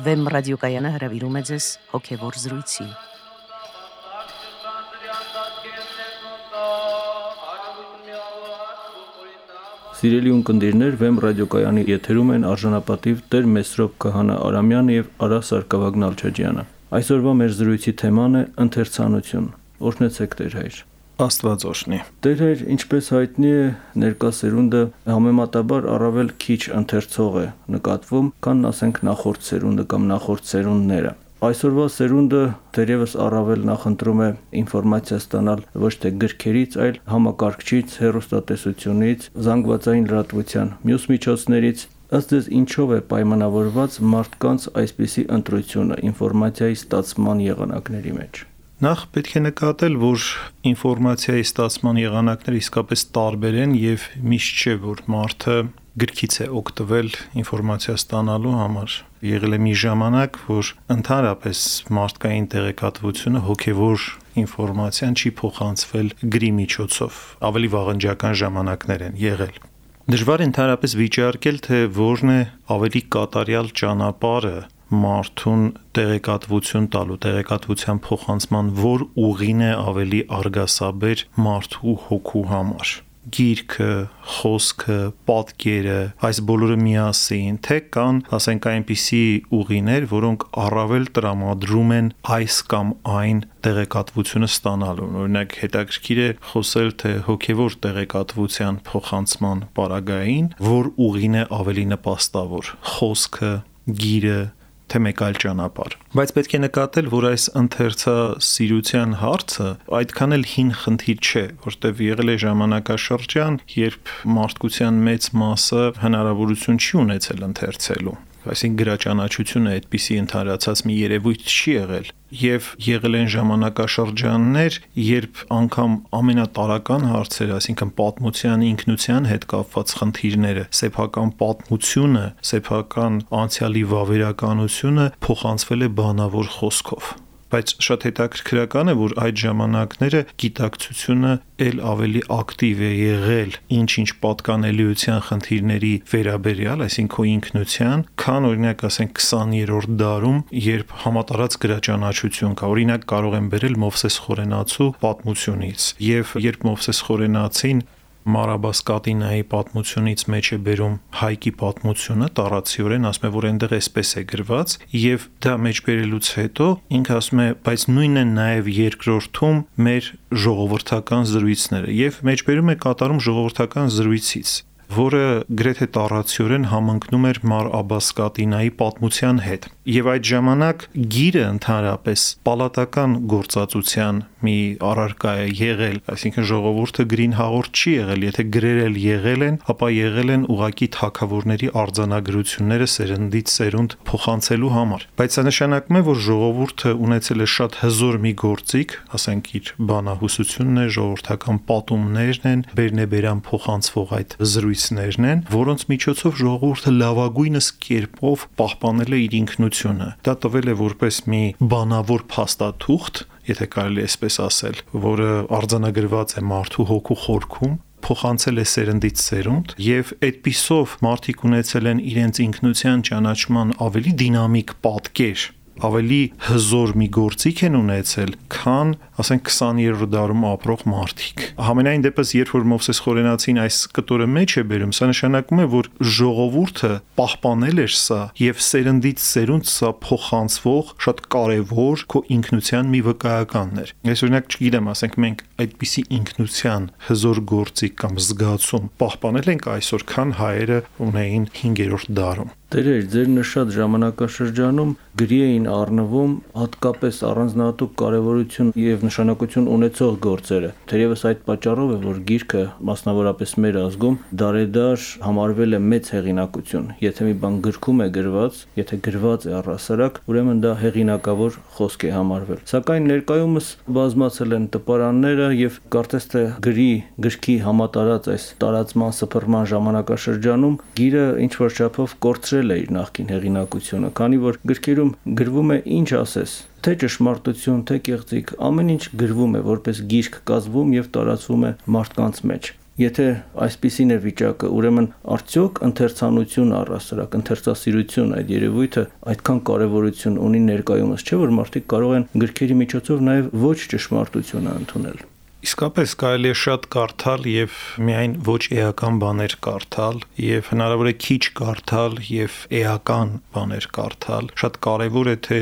Վեմ ռադիոկայանը հրավիրում է ձեզ հոգևոր զրույցի։ Սիրելի ունկնդիրներ, Վեմ ռադիոկայանի եթերում են արժանապատիվ Տեր Մեսրոպ Քահանա Արամյանը եւ Արա Սարգսակյան Ալչաջյանը։ Այսօրվա մեր զրույցի թեման է ընթերցանություն։ Օրհնեցեք Տեր հայր։ Աստված օրհնի։ Տեր հայր, ինչպես հայտնի է, ներկա սերունդը համեմատաբար առավել քիչ ընթերցող է նկատվում, քան ասենք նախորդ սերունդը կամ նախորդ սերունդները։ Այսօրվա սերունդը դեռևս առավել նախընտրում է ինֆորմացիա ստանալ ոչ թե գրքերից, այլ համակարգչից, հեռուստատեսությունից, զանգվածային լրատվության մյուս միջոցներից։ Ըստ ձեզ ինչով է պայմանավորված մարդկանց այսպիսի ընտրությունը ինֆորմացիայի ստացման եղանակների մեջ։ Նախ պետք է նկատել, որ ինֆորմացիայի ստացման եղանակները իսկապես տարբեր են եւ միշտ չէ, որ մարդը գրքից է օգտվել ինֆորմացիա ստանալու համար։ Եղել է մի ժամանակ, որ ընդհանրապես մարդկային տեղեկատվությունը հոգևոր ինֆորմացիան չի փոխանցվել գրի միջոցով։ Ավելի վաղնջական ժամանակներ են եղել։ Դժվար է ընդհանրապես վիճարկել, թե որն է ավելի կատարյալ ճանապարհը մարդուն տեղեկատվություն տալու, տեղեկատվության փոխանցման որ ուղին է ավելի արգասաբեր մարդու հոգու համար։ Գիրքը, խոսքը, պատկերը, այս բոլորը միասին, թե կան, ասենք այնպիսի ուղիներ, որոնք առավել տրամադրում են այս կամ այն տեղեկատվությունը ստանալուն։ Օրինակ հետաքրքիր է խոսել թե հոգևոր տեղեկատվության փոխանցման պարագային, որ ուղին է ավելի նպաստավոր՝ խոսքը, գիրը, թե մեկ այլ ճանապարհ։ Բայց պետք է նկատել, որ այս ընթերցասիրության հարցը այդքան էլ հին խնդիր չէ, որտեղ եղել է ժամանակաշրջան, երբ մարդկության մեծ մասը հնարավորություն չի ունեցել ընթերցելու։ Այսինքն գրաճանաչությունը այդպիսի ընդհանրացած մի երևույթ չի եղել, եւ եղել են ժամանակաշրջաններ, երբ անգամ ամենատարրական հարցերը, այսինքն պատմության ինքնության հետ կապված խնդիրները, սեփական պատմությունը, սեփական անցյալի վավերականությունը փոխանցվել է բանավոր խոսքով։ Բայց շատ հետաքրքրական է, որ այդ ժամանակները գիտակցությունը ել ավելի ակտիվ է եղել ինչ-ինչ պատկանելիության խնդիրների վերաբերյալ, այսինքն քո ինքնության, քան օրինակ ասենք 20-րդ դարում, երբ համատարած գրաճանաչություն կա։ Օրինակ կարող եմ բերել Մովսես Խորենացու պատմությունից, եւ երբ Մովսես Խորենացին Մարաբասկատինայի պատմությունից մեջ է բերում Հայկի պատմությունը, տառացիորեն ասում է, որ այնտեղ էսպես է գրված, եւ դա մեջ բերելուց հետո ինքը ասում է, բայց նույնն է նաեւ երկրորդում մեր ժողովրդական զրույցները, եւ մեջ բերում է կատարում ժողովրդական զրույցից, որը գրեթե տառացիորեն համընկնում էր Մար Աբասկատինայի պատմության հետ։ Եվ այդ ժամանակ գիրը ընդհանրապես պալատական գործածության մի առարկա է եղել, այսինքն ժողովուրդը գրին հաղորդ չի եղել, եթե գրեր էլ եղել են, ապա եղել են ուղակի թագավորների արձանագրությունները սերնդից սերունդ փոխանցելու համար։ Բայց սա նշանակում է, որ ժողովուրդը ունեցել է շատ հզոր մի գործիք, ասենք իր բանահյուսությունն է, ժողովրդական պատումներն են, բերնեբերան փոխանցվող այդ զրույցներն են, որոնց միջոցով ժողովուրդը լավագույնս կերպով պահպանել է իր ինքնությունը։ Դա տվել է որպես մի բանավոր փաստաթուղթ, եթե կարելի է այսպես ասել, որը արձանագրված է մարդու հոգու խորքում, փոխանցել է սերնդից սերունդ, եւ այդպիսով մարդիկ ունեցել են իրենց ինքնության ճանաչման ավելի դինամիկ պատկեր, ավելի հզոր մի գործիք են ունեցել, քան, ասենք 20-րդ դարում ապրող մարդիկ։ Համենայն դեպս, երբ որ Մովսես Խորենացին այս կտորը մեջ է բերում, սա նշանակում է, որ ժողովուրդը պահպանել էր սա եւ սերնդից սերունդ սա փոխանցվող շատ կարեւոր քո ինքնության մի վկայականն էր։ Ես օրինակ չգիտեմ, ասենք մենք այդպիսի ինքնության հզոր գործիք կամ զգացում պահպանել ենք այսօր, քան հայերը ունեին 5-րդ դարում։ Տերեր, ձեր նշած ժամանակաշրջանում գրի էին առնվում հատկապես առանձնահատուկ կարևորություն եւ նշանակություն ունեցող գործերը։ Թերևս այդ պատճառով է, որ գիրքը, մասնավորապես մեր ազգում, դարեդար համարվել է մեծ հեղինակություն։ Եթե մի բան գրքում է գրված, եթե գրված է առհասարակ, ուրեմն դա հեղինակավոր խոսք է համարվել։ Սակայն ներկայումս բազմացել են տպարանները եւ կարծես թե գրքի համատարած այս տարածման սփռման ժամանակաշրջանում գիրը ինչ որ չափով կորցրել է իր նախկին հեղինակությունը, քանի որ գրքերում գրվում է ինչ ասես, թե ճշմարտություն, թե կեղծիք, ամեն ինչ գրվում է որպես գիրք կազմվում եւ տարածվում է մարդկանց մեջ։ Եթե այսպիսին է վիճակը, ուրեմն արդյոք ընթերցանություն առհասարակ, ընթերցասիրություն այդ երևույթը այդքան կարևորություն ունի ներկայումս, չէ՞ որ մարդիկ կարող են գրքերի միջոցով նաև ոչ ճշմարտությունը ընդունել։ Իսկապես կարելի է շատ կարդալ եւ միայն ոչ էական բաներ կարդալ եւ հնարավոր է քիչ կարդալ եւ էական բաներ կարդալ։ Շատ կարեւոր է թե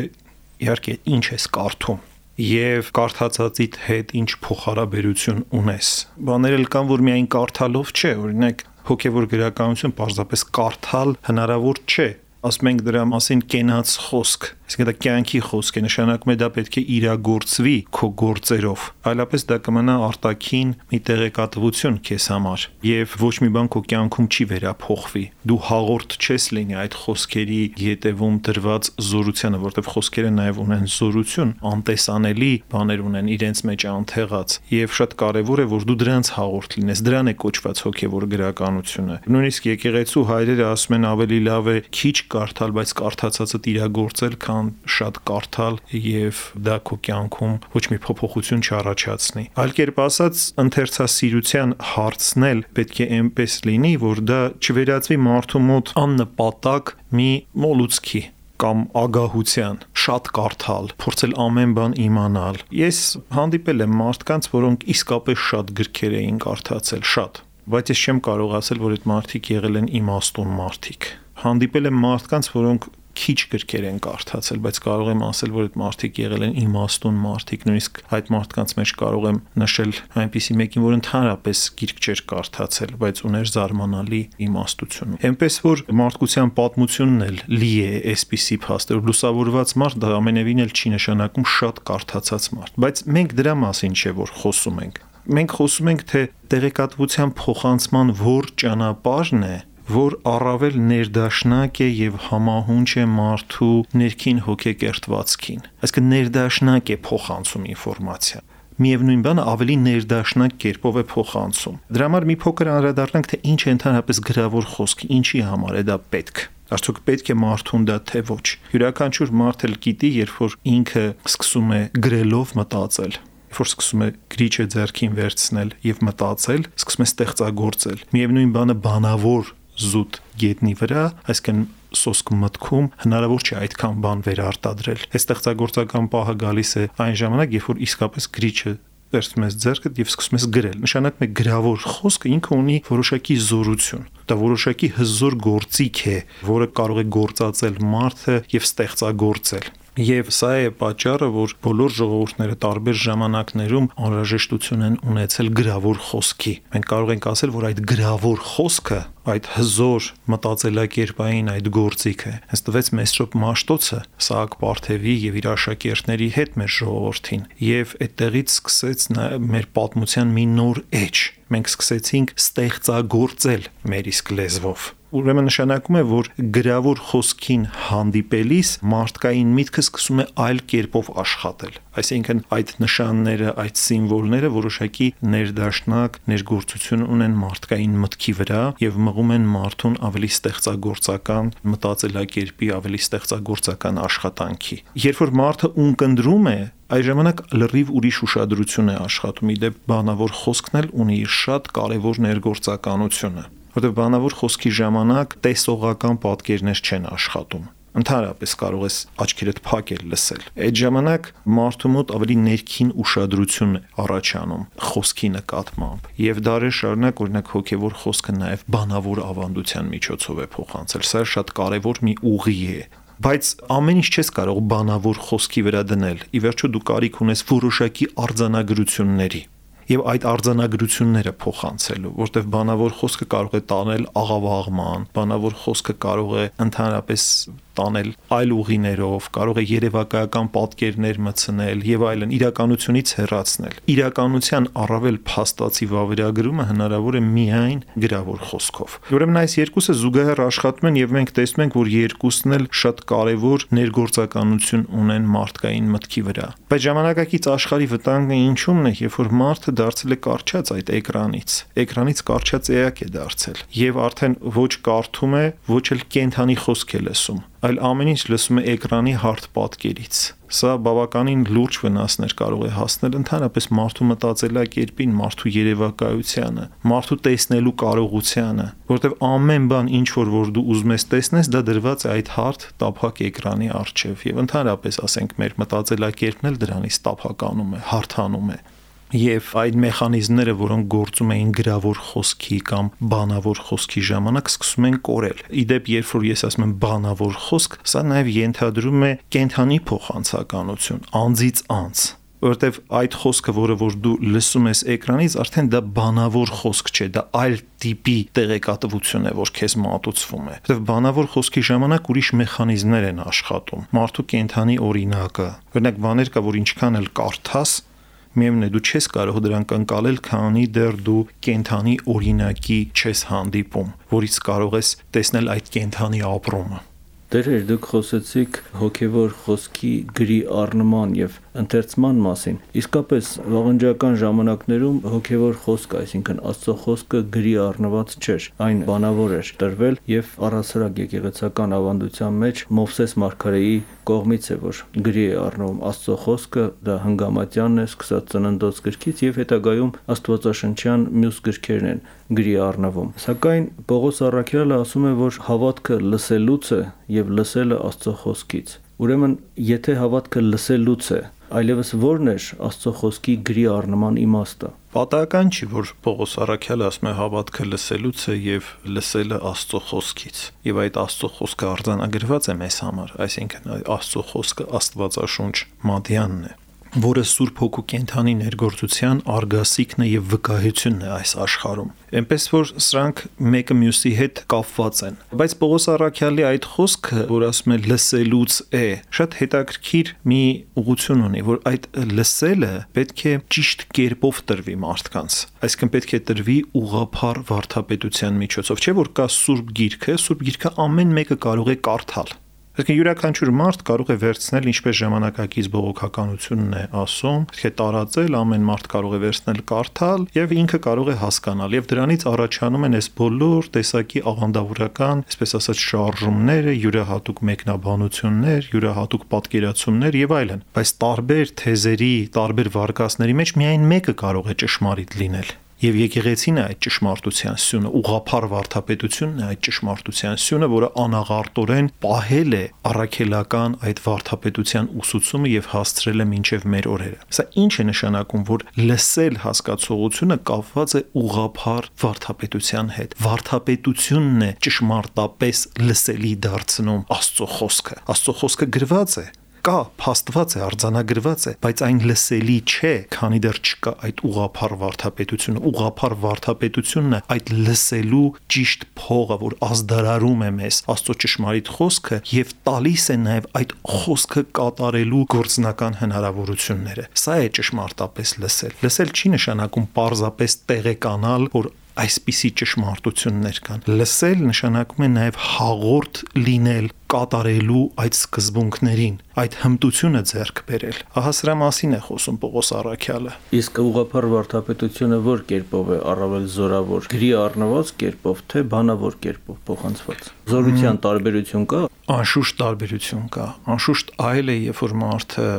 իհարկե ինչ ես կարդում եւ կարդացածիդ հետ ինչ փոխհարաբերություն ունես։ Բաներ էլ կան, որ միայն կարդալով չէ, օրինակ հոգեվոր գրականություն պարզապես կարդալ հնարավոր չէ։ Ասում ենք դրա մասին կենաց խոսք, իսկ դա կյանքի խոսք է, նշանակում է դա պետք է իրագործվի քո գործերով, այլապես դա կմնա արտաքին մի տեղեկատվություն քեզ համար եւ ոչ մի բան քո կյանքում չի վերափոխվի։ Դու հաղորդ չես լինի այդ խոսքերի յետևում դրված զորությանը, որտեղ խոսքերը նաեւ ունեն զորություն, անտեսանելի բաներ ունեն իրենց մեջ անթեղած եւ շատ կարեւոր է որ դու դրանց հաղորդ լինես, դրան է կոչված հոգեվոր գրականությունը։ Նույնիսկ եկեղեցու հայրերը ասում են ավելի լավ է քիչ կարդալ, բայց կարդացածը իրագործել, քան շատ կարդալ եւ դա քո կյանքում ոչ մի փոփոխություն չառաջացնի։ Այլ կերպ ասած, ընթերցասիրության հարցն էլ պետք է այնպես լինի, որ դա չվերածվի մարդու մոտ աննպատակ մի մոլուցքի կամ ագահության, շատ կարդալ, փորձել ամեն բան իմանալ։ Ես հանդիպել եմ մարդկանց, որոնք իսկապես շատ գրքեր էին կարդացել, շատ, բայց ես չեմ կարող ասել, որ այդ մարդիկ եղել են իմաստուն մարդիկ։ Հանդիպել եմ մարդկանց, որոնք քիչ գրքեր են կարդացել, բայց կարող եմ ասել, որ այդ մարդիկ եղել են իմաստուն մարդիկ, նույնիսկ այդ մարդկանց մեջ կարող եմ նշել այնպիսի մեկին, որ ընդհանրապես գիրք չէր կարդացել, բայց ուներ զարմանալի իմաստություն։ Էնպես որ մարդկության պատմությունն էլ լի է այսպիսի փաստերով, լուսավորված մարդ դա ամենևին էլ չի նշանակում շատ կարդացած մարդ, բայց մենք դրա մասին չէ որ խոսում ենք։ Մենք խոսում ենք թե տեղեկատվության փոխանցման որ ճանապարհն է, որ առավել ներդաշնակ է եւ համահունչ է մարդու ներքին հոգեկերտվածքին։ Այսինքն ներդաշնակ է փոխանցում ինֆորմացիա։ Միևնույն բանը ավելի ներդաշնակ կերպով է փոխանցում։ Դրա համար մի փոքր անդրադառնանք թե ինչ է ընդհանրապես գրավոր խոսք, ինչի համար է դա պետք։ Արդյոք պետք է մարդուն դա թե ոչ։ Յուրաքանչյուր մարդ էլ գիտի, երբ որ ինքը սկսում է գրելով մտածել, որ սկսում է գրիչը ձեռքին վերցնել եւ մտածել, սկսում է ստեղծագործել։ Միևնույն բանը բանավոր զուտ գետնի վրա, այսինքն սոսկ մտքում հնարավոր չէ այդքան բան վերարտադրել։ Այս ստեղծագործական պահը գալիս է այն ժամանակ, երբ որ իսկապես գրիչը վերցնում ես ձեռքդ եւ սկսում ես գրել։ Նշանակում է գրավոր խոսքը ինքը ունի որոշակի զորություն։ Դա որոշակի հզոր գործիք է, որը կարող է գործածել մարդը եւ ստեղծագործել։ Եվ սա է պատճառը, որ բոլոր ժողովուրդները տարբեր ժամանակներում անհրաժեշտություն են ունեցել գրավոր խոսքի։ Մենք կարող ենք ասել, որ այդ գրավոր խոսքը, այդ հզոր մտածելակերպային այդ գործիքը, հենց տվեց Մեսրոպ Մաշտոցը Սահակ Պարթևի եւ իր աշակերտների հետ մեր ժողովրդին, եւ այդտեղից սկսեց մեր պատմության մի նոր էջ։ Մենք սկսեցինք ստեղծագործել մեր իսկ լեզվով։ Ուրեմն նշանակում է, որ գրավոր խոսքին հանդիպելիս մարդկային միտքը սկսում է այլ կերպով աշխատել։ Այսինքն այդ նշանները, այդ սիմվոլները որոշակի ներդաշնակ ներգործություն ունեն մարդկային մտքի վրա եւ մղում են մարդուն ավելի ստեղծագործական մտածելակերպի, ավելի ստեղծագործական աշխատանքի։ Երբ որ մարդը ունկնդրում է, այդ ժամանակ լրիվ ուրիշ ուշադրություն է աշխատում։ Իդեպ բանավոր խոսքն էլ ունի իր շատ կարևոր ներգործականությունը, որտեղ բանավոր խոսքի ժամանակ տեսողական պատկերներ չեն աշխատում։ Ընդհանրապես կարող ես աչքերդ փակել լսել։ Այդ ժամանակ մարդու մոտ ավելի ներքին ուշադրություն է առաջանում խոսքի նկատմամբ։ Եվ դարեր շարունակ օրինակ հոգևոր խոսքը նաև բանավոր ավանդության միջոցով է փոխանցել։ Սա շատ կարևոր մի ուղի է։ Բայց ամեն ինչ չես կարող բանավոր խոսքի վրա դնել։ Ի վերջո դու կարիք ունես որոշակի արձանագրությունների եւ այդ արձանագրությունները փոխանցելու, որտեղ բանավոր խոսքը կարող է տանել աղավաղման, բանավոր խոսքը կարող է ընդհանրապես տանել այլ ուղիներով, կարող է երևակայական պատկերներ մտցնել եւ այլն, իրականությունից հեռացնել։ Իրականության առավել փաստացի վավերագրումը հնարավոր է միայն գրավոր խոսքով։ Ուրեմն այս երկուսը զուգահեռ աշխատում են եւ մենք տեսնում ենք, որ երկուսն էլ շատ կարեւոր ներգործականություն ունեն մարդկային մտքի վրա։ Բայց ժամանակակից աշխարհի վտանգը ինչու՞մն է, երբ որ մարդը դարձել է կարճած այդ էկրանից կարճած էակ է դարձել եւ արդեն ոչ կարդում է, ոչ էլ կենթանի խոսք է լսում։ այլ ամեն ինչ լսում է էկրանի հարթ պատկերից։ Սա բավականին լուրջ վնասներ կարող է հասնել ընդհանրապես մարդու մտածելակերպին, մարդու երևակայությանը, մարդու տեսնելու կարողությանը, որտեղ ամեն բան ինչ որ դու ուզում ես տեսնես, դա դրված է այդ հարթ տափակ էկրանի առջև, եւ ընդհանրապես ասենք մեր մտածելակերպն էլ դրանից տափականում է, հարթանում է։ Եվ այդ մեխանիզմները, որոնք գործում էին գրավոր խոսքի կամ բանավոր խոսքի ժամանակ, սկսում են կորել։ Իդեպ, երբ որ ես ասում եմ բանավոր խոսք, սա նաև ենթադրում է կենթանի փոխանցականություն, անձից անձ, որովհետև այդ խոսքը, որը որ դու լսում ես էկրանից, արդեն դա բանավոր խոսք չէ, դա այլ տիպի տեղեկատվություն է, որ քեզ մատուցվում է։ Որովհետև բանավոր խոսքի ժամանակ ուրիշ մեխանիզմներ են աշխատում։ Մարդու կենթանի օրինակը, օրինակ բաներ կա, որ ինչքան էլ կարդաս, միևնույն է դու չես կարող դրանք ընկալել, քանի դեռ դու կենթանի օրինակի չես հանդիպում, որից կարող ես տեսնել այդ կենթանի ապրումը։ Դերեր դուք խոսեցիք հոգևոր խոսքի գրի առնման եւ ընթերցման մասին։ Իսկապես վաղնջական ժամանակներում հոգևոր խոսքը, այսինքն Աստծո խոսքը գրի առնված չէր, այն բանավոր էր տրվել եւ առասարակ եկեղեցական ավանդության մեջ Մովսես մարգարեի կողմից է, որ գրի է առնվում Աստծո խոսքը, դա Հնգամատյանն է, սկսած Ծննդոց գրքից եւ հետագայում Աստվածաշնչյան մյուս գրքերն են գրի առնվում։ Սակայն Պողոս առաքյալը ասում է, որ հավատքը լսելուց է եւ լսելը Աստծո խոսքից։ Ուրեմն, եթե հավատքը լսելուց է, այլևս ո՞րն է Աստծո խոսքի գրի առնման իմաստը։ Պատահական չի, որ Պողոս առաքյալը ասում է հավատքը լսելուց է եւ լսելը Աստծո խոսքից։ Եվ այդ Աստծո խոսքը արձանագրված է մեզ համար, այսինքն Աստծո խոսքը Աստվածաշունչ Մատյանն է, որը Սուրբ Հոգու կենթանի ներգործության արգասիքն է եւ վկայությունն է այս աշխարհում։ Էնպես որ սրանք մեկը մյուսի հետ կապված են։ Բայց Պողոս առաքյալի այդ խոսքը, որ ասում է լսելուց է, շատ հետաքրքիր մի ուղղություն ունի, որ այդ լսելը պետք է ճիշտ կերպով տրվի մարդկանց։ Այսինքն պետք է տրվի ուղղափառ վարդապետության միջոցով, չէ՞ որ կա Սուրբ Գիրքը ամեն մեկը կարող է կարդալ։ Այսինքն յուրաքանչյուր մարդ կարող է վերցնել, ինչպես ժամանակակից բողոքականությունն է ասում, պետք է տարածել, ամեն մարդ կարող է վերցնել կարդալ եւ ինքը կարող է հասկանալ եւ դրանից առաջանում են այս բոլոր տեսակի աղանդավորական, այսպես ասած, շարժումները, յուրահատուկ մեկնաբանություններ, յուրահատուկ պատկերացումներ եւ այլն։ Բայց տարբեր թեզերի, տարբեր վարկածների մեջ միայն մեկը կարող է ճշմարիտ լինել։ Եվ եկեղեցին է այդ ճշմարտության սյունը, ուղղափառ վարդապետությունն է այդ ճշմարտության սյունը, որը անաղարտորեն պահել է առաքելական այդ վարդապետության ուսուցումը եւ հասցրել է մինչեւ մեր օրերը։ Սա ինչ է նշանակում, որ լսել հասկացողությունը կապված է ուղղափառ վարդապետության հետ։ Վարդապետությունն է ճշմարտապես լսելի դարձնում Աստծո խոսքը։ Աստծո խոսքը գրված է, կա, փաստված է, արձանագրված է, բայց այն լսելի չէ, քանի դեռ չկա այդ ուղղափառ վարդապետությունը։ Ուղղափառ վարդապետությունն է այդ լսելու ճիշտ փողը, որ ազդարարում է մեզ Աստծո ճշմարիտ խոսքը եւ տալիս է նաեւ այդ խոսքը կատարելու գործնական հնարավորությունները։ Սա է ճշմարտապես լսել։ Լսել չի նշանակում պարզապես տեղեկանալ, որ այսպիսի ճշմարտություններ կան։ Լսել նշանակում է նաև հաղորդ լինել կատարելու այդ սկզբունքներին, այդ հմտությունը ձեռք բերել։ Ահա սրա մասին է խոսում Պողոս առաքյալը։ Իսկ ուղղափառ վարդապետությունը որ կերպով է առավել զորավոր, գրի առնված կերպով, թե բանավոր կերպով փոխանցված։ Զորության տարբերություն կա։ Անշուշտ տարբերություն կա։ Անշուշտ այլ է, երբ որ մարդը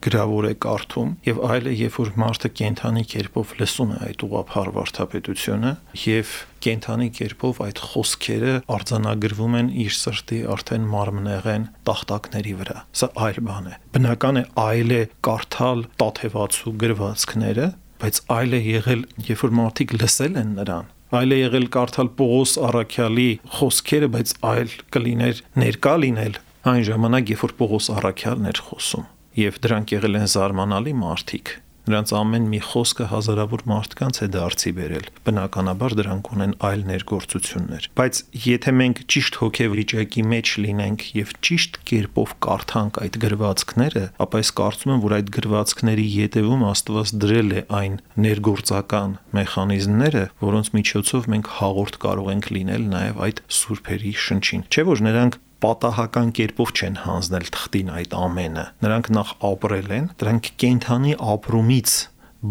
գրավոր է կարդում եւ այլ է, երբ որ մարդը կենթանի կերպով լսում է այդ ուղղափառ վարդապետությունը եւ կենթանի կերպով այդ խոսքերը արձանագրվում են իր սրտի արդեն մարմնեղեն տախտակների վրա։ Սա այլ բան է։ Բնական է այլ է կարդալ տաթևացու գրվածքները, բայց այլ է եղել, երբ որ մարդիկ լսել են նրան։ Այլ է եղել կարդալ Պողոս առաքյալի խոսքերը, բայց այլ կլիներ ներկա լինել այն ժամանակ, երբ որ Պողոս առաքյալն էր խոսում։ Եվ դրանք եղել են զարմանալի մարդիկ։ Նրանց ամեն մի խոսքը հազարավոր մարդկանց է դարձի բերել։ Բնականաբար դրանք ունեն այլ ներգործություններ։ Բայց եթե մենք ճիշտ հոգեվիճակի մեջ լինենք եւ ճիշտ կերպով կարդանք այդ գրվածքները, ապա ես կարծում եմ, որ այդ գրվածքների ետևում Աստված դրել է այն ներգործական մեխանիզմները, որոնց միջոցով մենք հաղորդ կարող ենք լինել նաեւ այդ սուրբերի շնչին։ Չէ՞ որ նրանք պատահական կերպով չեն հանձնել թղթին այդ ամենը։ Նրանք նախ ապրել են, դրանք կենթանի ապրումից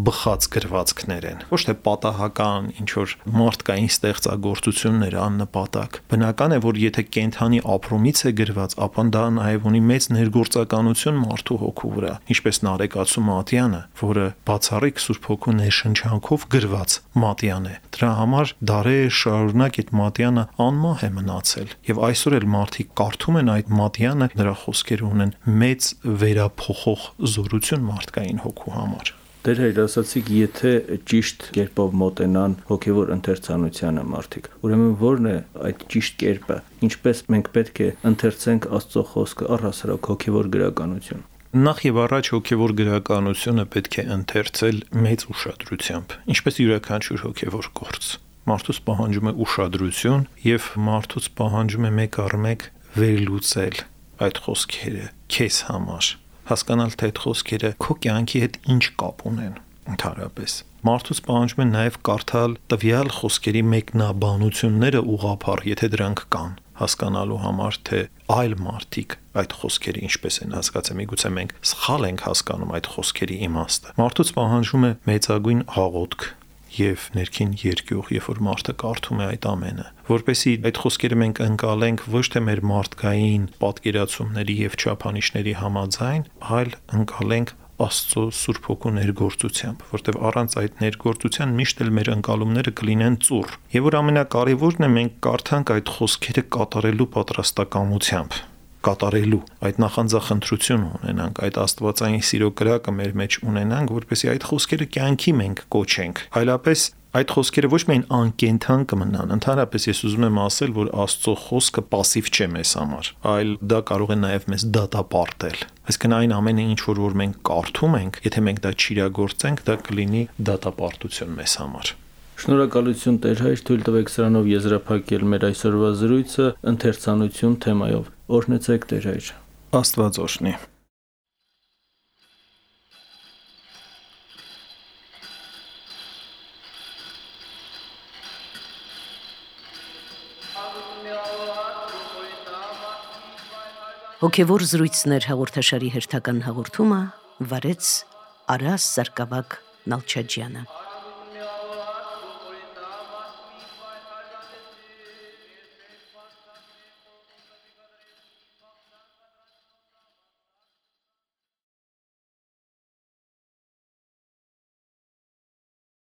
բխած գրվածքներ են, ոչ թե պատահական ինչ որ մարդկային ստեղծագործություններ աննպատակ։ Բնական է, որ եթե կենթանի ապրումից է գրված, ապա դա նաև ունի մեծ ներգործականություն մարդու հոգու վրա, ինչպես Նարեկացու Մատյանը, որը բացառիկ Սուրբ Հոգու ներշնչանքով գրված Մատյան է։ Դրա համար դարեր շարունակ այդ Մատյանը անմահ է մնացել, եւ այսօր էլ մարդիկ կարդում են այդ Մատյանը, նրա խոսքերը ունեն մեծ վերափոխող զորություն մարդկային հոգու համար։ Դեր հայր ասացիք, եթե ճիշտ կերպով մոտենան հոգևոր ընթերցանությանը մարդիկ, ուրեմն ո՞րն է այդ ճիշտ կերպը, ինչպես մենք պետք է ընթերցենք Աստծո խոսքը, առհասարակ հոգևոր գրականություն։ Նախ եւ առաջ հոգևոր գրականությունը պետք է ընթերցել մեծ ուշադրությամբ, ինչպես յուրաքանչյուր հոգևոր գործ։ Մարդուց պահանջում է ուշադրություն եւ մարդուց պահանջում է մեկ առ մեկ վերլուծել այդ խոսքերը քեզ համար, հասկանալ թե այդ խոսքերը քո կյանքի հետ ինչ կապ ունեն ընդհանրապես։ Մարդուց պահանջում է նաև կարդալ տվյալ խոսքերի մեկնաբանությունները ուղղափառ, եթե դրանք կան, հասկանալու համար, թե այլ մարդիկ այդ խոսքերը ինչպես են հասկացել, միգուցե մենք սխալ ենք հասկանում այդ խոսքերի իմաստը։ Մարդուց պահանջում է մեծագույն աղոթք եւ ներքին երկյուղ, երբ որ մարդը կարդում է այդ ամենը, որպեսզի այդ խոսքերը մենք ընկալենք ոչ թե մեր մարդկային պատկերացումների եւ չափանիշների համաձայն, այլ ընկալենք Աստծո Սուրբ Հոգու ներգործությամբ, որտեղ առանց այդ ներգործության միշտ էլ մեր ընկալումները կլինեն ծուռ։ Եվ որ ամենակարևորն է, մենք կարդանք այդ խոսքերը կատարելու պատրաստակամությամբ, կատարելու այդ նախանձախնդրություն ունենանք, այդ աստվածային սիրո կրակը մեր մեջ ունենանք, որպեսզի այդ խոսքերը կյանքի մենք կոչենք։ Այլապես այդ խոսքերը ոչ միայն անկենթան կմնան, ընդհանրապես ես ուզում եմ ասել, որ Աստծո խոսքը пассив չէ մեզ համար, այլ դա կարող է նաև մեզ դատապարտել։ Այսինքն այն ամենը, ինչ որ մենք կարդում ենք, եթե մենք դա չիրագործենք, դա կլինի դատապարտություն մեզ համար։ Շնորհակալություն Տեր հայր, թույլ տվեք սրանով եզրափակել մեր այսօրվա զրույցը ընթերցանություն թեմայով։ Օրհնեցեք Տեր հայր։ Աստված օրհնի։ Հոգևոր զրույցներ հաղորդաշարի հերթական հաղորդումը վարեց Արաս Սարգսակ Նալչաջյանը։